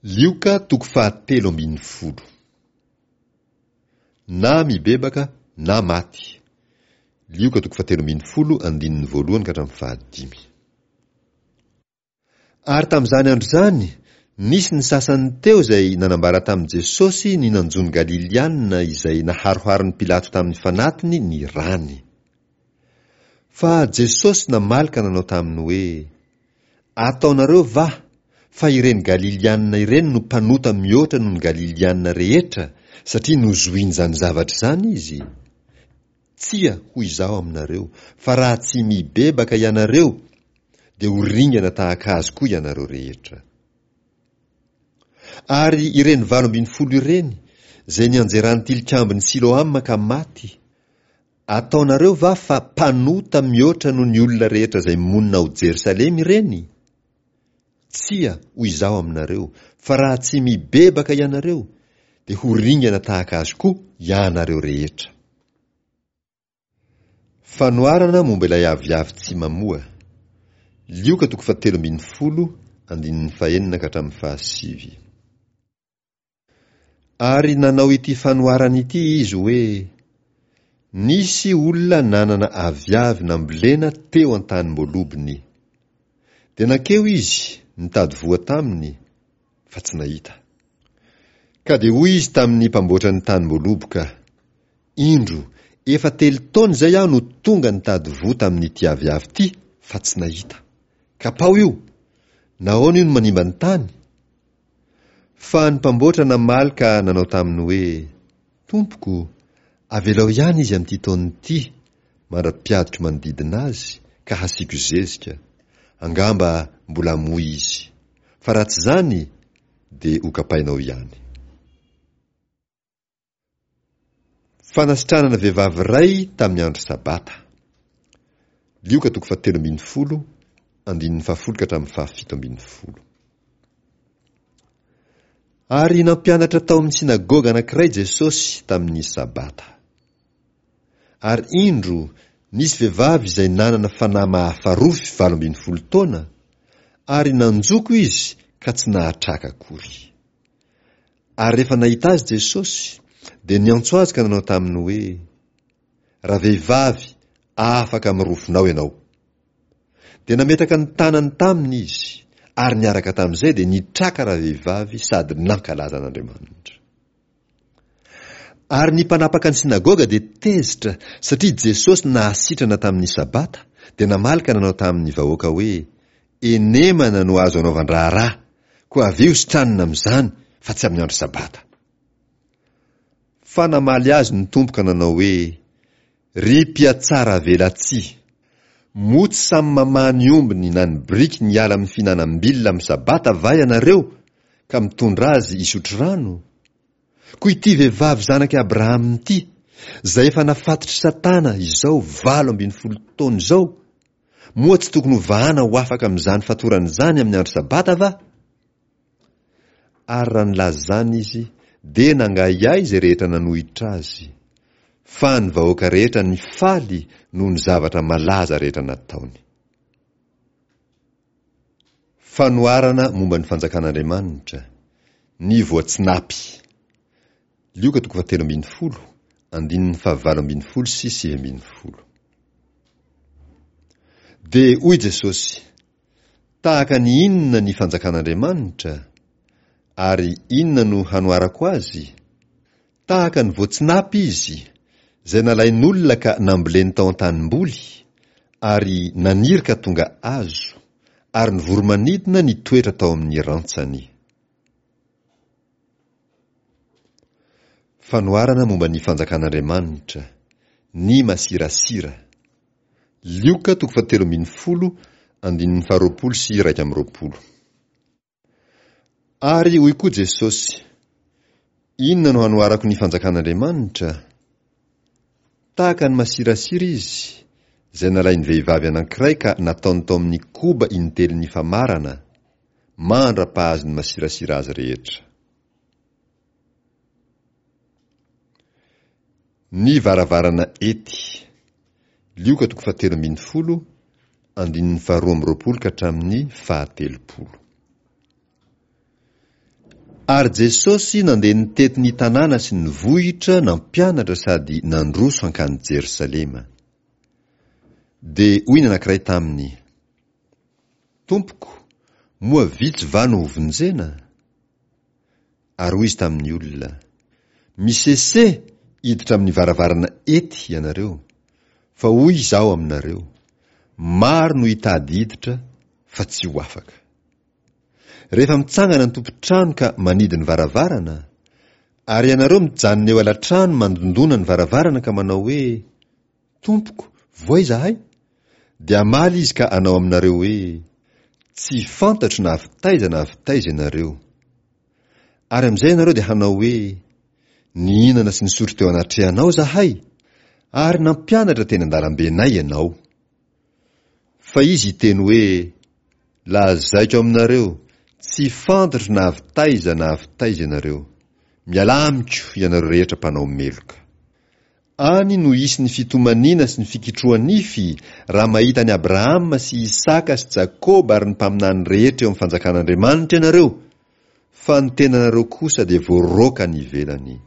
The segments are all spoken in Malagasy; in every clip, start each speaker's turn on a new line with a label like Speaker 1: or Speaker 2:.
Speaker 1: Lioka toko fahatelo ambin'ny folo. Na mibebaka na maty. Lioka toko fahatelo ambin'ny folo andininy voalohany ka hatramin'ny fahadimy. Ary tamin'izany andro izany, nisy ny sasany teo izay nanambara tamin'i Jesosy ny nanjo ny Galiliana izay naharoharon'i Pilato tamin'ny fanatiny ny rany. Fa Jesosy namaly ka nanao taminy hoe, Ataonareo va fa ireny Galiliana ireny no mpanota mihoatra noho ny Galiliana rehetra satria nozohin'izany zavatra izany izy? Tsia, hoy Izaho aminareo, fa raha tsy mibebaka ianareo, dia ho ringana tahaka azy koa ianareo rehetra. Ary ireny 18 ireny, izay nianjeran'ny tilikambon'i Siloama ka maty, Ataonareo va fa mpanota mihoatra noho ny olona rehetra izay monina ao Jerosalema ireny? Tsia, hoy Izaho aminareo, fa raha tsy mibebaka ianareo, dia ho ringana tahaka azy koa ianareo rehetra. Fanoharana momba ilay aviavy tsy mamoa. Lioka toko fahatelo ambin'ny folo, andininy fahenina ka hatramin'ny fahasivy. Ary nanao ity fanoharana ity izy hoe, Nisy olona nanana aviavy nambolena teo an-tanim-boalobony. Dia nankeo izy nitady voa taminy, fa tsy nahita. Ka dia hoy izy tamin'ny mpamboatra ny tanim-boaloboka, Indro, efa telo taona izay aho no tonga nitady voa tamin'ity aviavy ity, fa tsy nahita. Kapao io! Nahoana io no manimba ny tany? Fa ny mpamboatra namaly ka nanao taminy hoe, Tompoko, avelao ihany izy amin'ity taona ity, mandra-piadiko manodidina azy, ka hasiako zezika. Angamba mbola hamoa izy. Fa raha tsy izany, dia hokapainao ihany. Fanasitranana vehivavy iray tamin'ny andro Sabata. Lioka toko fahatelo ambin'ny folo, andininy fahafolo ka hatramin'ny fahafito ambin'ny folo. Ary nampianatra tao amin'ny synagoga anankiray Jesosy tamin'ny Sabata. Ary indro, nisy vehivavy izay nanana fanahy mahafarofy 18 taona, ary nanjoko izy ka tsy nahatraka akory. Ary rehefa nahita azy Jesosy, dia niantso azy ka nanao taminy hoe, Ravehivavy, afaka amin'ny rofinao ianao. Dia nametraka ny tanany taminy izy, ary niaraka tamin'izay dia nitraka ravehivavy sady nankalaza an'Andriamanitra. Ary ny mpanapaka ny synagoga dia tezitra satria Jesosy nahasitrana tamin'ny Sabata, dia namaly ka nanao tamin'ny vahoaka hoe, Enemana no azo anaovan-draharaha, koa avia ho sitranina amin'izany, fa tsy amin'ny andro Sabata. Fa namaly azy ny Tompo ka nanao hoe, Ry mpihatsaravelatsihy! Moa tsy samy mamaha ny ombiny na ny birikiny hiala amin'ny fihinanam-bilona amin'ny Sabata va ianareo, ka mitondra azy hisotro rano? Koa ity vehivavy zanak'i Abrahama ity, izay efa nafatotr'i Satana izao 18 taona izao, Moa tsy tokony ho vahana ho afaka amin'izany fatorana izany amin'ny andro Sabata va? Ary raha nilaza izany izy, dia nangahiahy izay rehetra nanohitra azy. Fa ny vahoaka rehetra nifaly noho ny zavatra malaza rehetra nataony. Fanoharana momba ny fanjakan'Andriamanitra, ny voatsinapy. Lioka toko fahatelo ambin'ny folo, andininy fahavalo ambin'ny folo sy 19. Dia hoy Jesosy, Tahaka ny inona ny fanjakan'Andriamanitra? Ary inona no hanoharako azy? Tahaka ny voatsinapy izy, izay nalain'olona ka namboleny tao an-tanimboly, ary naniry ka tonga hazo, ary ny voro-manidina nitoetra tao amin'ny rantsany. Fanoharana momba ny Fanjakan'Andriamanitra, ny masirasira. Lioka toko fahatelo ambin'ny folo, andininy faharoapolo sy 21. Ary hoy koa Jesosy, Inona no hanoharako ny Fanjakan'Andriamanitra? Tahaka ny masirasira izy, izay nalain'ny vehivavy anankiray ka nataony tao amin'ny koba intelon'ny famarana, mandra-pahazon'ny masirasira azy rehetra. Ny varavarana ety. Lioka toko fahatelo ambin'ny folo, andininy faharoa amby roapolo ka hatramin'ny fahatelopolo. Ary Jesosy nandeha nitety ny tanàna sy ny vohitra nampianatra sady nandroso hankany Jerosalema. Dia hoy ny anankiray taminy, Tompoko, moa vitsy va no hovonjena? Ary hoy izy tamin'ny olona, Misese hiditra amin'ny varavarana ety ianareo, fa hoy Izaho aminareo, maro no hitady hiditra fa tsy ho afaka. Rehefa mitsangana ny tompon-trano ka manidy ny varavarana, ary ianareo mijanona eo alatrano mandondona ny varavarana ka manao hoe, Tompoko, voa izahay? Dia hamaly izy ka hanao aminareo hoe, Tsy fantatro na avy taiza na avy taiza ianareo. Ary amin'izay ianareo dia hanao hoe, Nihinana sy nisotro teo anatrehanao izahay, ary nampianatra teny an-dalambenay ianao. Fa izy hiteny hoe, Lazaiko aminareo, tsy fantatro na avy taiza na avy taiza ianareo. Mialà amiko, ianareo rehetra mpanao meloka. Any no hisy ny fitomaniana sy ny fikitroha-nify raha mahita an'i Abrahama sy Isaka sy Jakoba ary ny mpaminany rehetra eo amin'ny fanjakan'Andriamanitra ianareo, fa ny tenanareo kosa dia voaroaka any ivelany.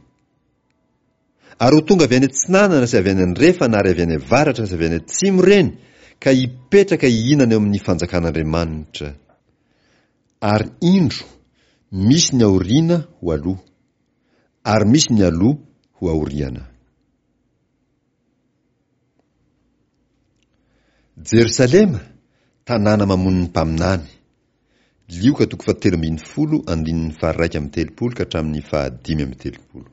Speaker 1: Ary ho tonga avy any atsinanana sy avy any andrefana ary avy any avaratra sy avy any atsimo ireny ka hipetraka hihinana eo amin'ny fanjakan'Andriamanitra. Ary indro, misy ny aoriana ho aloha. Ary misy ny aloha ho aoriana. Jerosalema, tanàna mamono ny mpaminany. Lioka toko fahatelo ambinifolo andininy faha-31 ka hatramin'ny faha-35.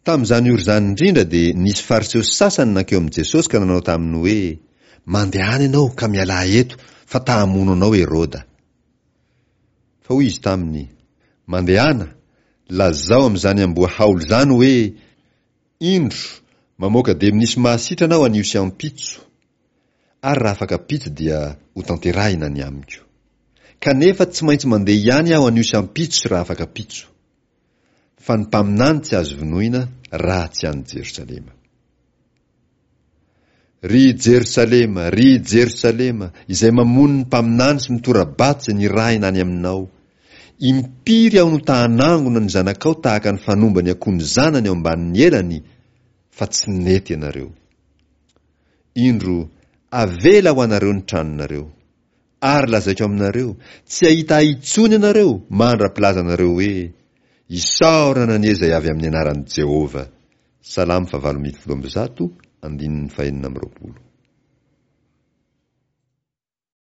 Speaker 1: Tamin'izany ora izany indrindra dia nisy Fariseo sasany nankeo amin'i Jesosy ka nanao taminy hoe, Mandehana ianao ka mialà eto, fa ta-hamono anao Heroda. Fa hoy izy taminy, Mandehana, lazao amin'izany amboa haolo izany hoe, Indro, mamoaka demonisy mahasitrana aho anio sy ampitso, ary raha afaka ampitso dia hotanterahina ny amiko. Kanefa tsy maintsy mandeha ihany aho anio sy ampitso sy raha afaka ampitso. Fa ny mpaminany tsy azo vonoina raha tsy any Jerosalema. Ry Jerosalema, ry Jerosalema, izay mamono ny mpaminany sy mitora-bato izay nirahina any aminao! Impiry aho no ta-hanangona ny zanakao tahaka ny fanomba ny akoho ny zanany ao ambanin'ny elany, fa tsy nety ianareo. Indro, avela ho anareo ny tranonareo. Ary lazaiko aminareo, tsy hahita Ahy intsony ianareo mandra-pilazanareo hoe, Isaorana anie izay avy amin'ny anaran'i Jehovah! Salamo fahavalo ambinifolo amby zato, andininy fahenina amby roapolo.